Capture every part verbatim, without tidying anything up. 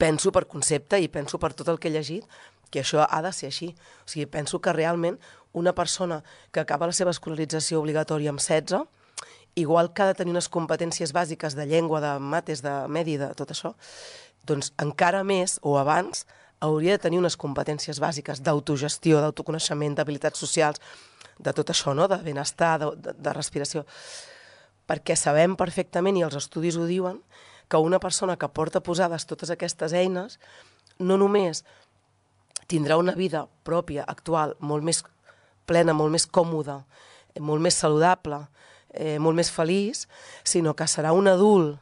penso per concepte i penso per tot el que he llegit que això ha de ser així. O sigui, penso que realment una persona que acaba la seva escolarització obligatòria amb setze, igual que ha de tenir unes competències bàsiques de llengua, de mates, de medi, de tot això, doncs encara més o abans hauria de tenir unes competències bàsiques d'autogestió, d'autoconeixement, d'habilitats socials, de tot això, no? De benestar, de, de, de respiració. Perquè sabem perfectament, i els estudis ho diuen, que una persona que porta posades totes aquestes eines no només tindrà una vida pròpia, actual, molt més plena, molt més còmoda, molt més saludable, eh, molt més feliç, sinó que serà un adult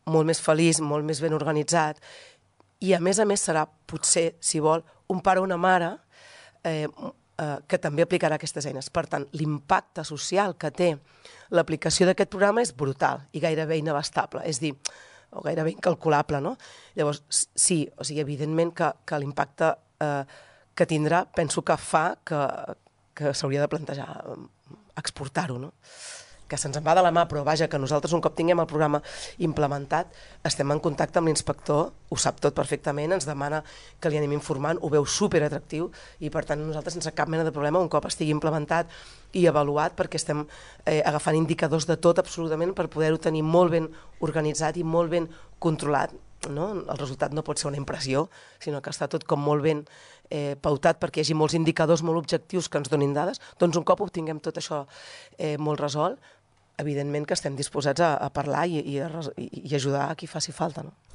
molt més feliç, molt més ben organitzat, i a més a més serà, potser, si vol, un pare o una mare eh, eh, que també aplicarà aquestes eines. Per tant, l'impacte social que té l'aplicació d'aquest programa és brutal i gairebé inabastable, és dir, o gairebé incalculable, no? Llavors, sí, o sigui, evidentment que, que l'impacte eh, que tindrà, penso que fa que, que s'hauria de plantejar exportar-ho, no? Que se'ns en va de la mà, però vaja, que nosaltres un cop tinguem el programa implementat estem en contacte amb l'inspector, ho sap tot perfectament, ens demana que li anem informant, ho veu superatractiu i per tant nosaltres sense cap mena de problema un cop estigui implementat i avaluat, perquè estem eh, agafant indicadors de tot absolutament per poder-ho tenir molt ben organitzat i molt ben controlat, no? El resultat no pot ser una impressió, sinó que està tot com molt ben eh, pautat perquè hi hagi molts indicadors molt objectius que ens donin dades. Doncs un cop obtinguem tot això eh, molt resolt, evidentment que estem disposats a, a parlar i, i, a, i ajudar a qui faci falta, no?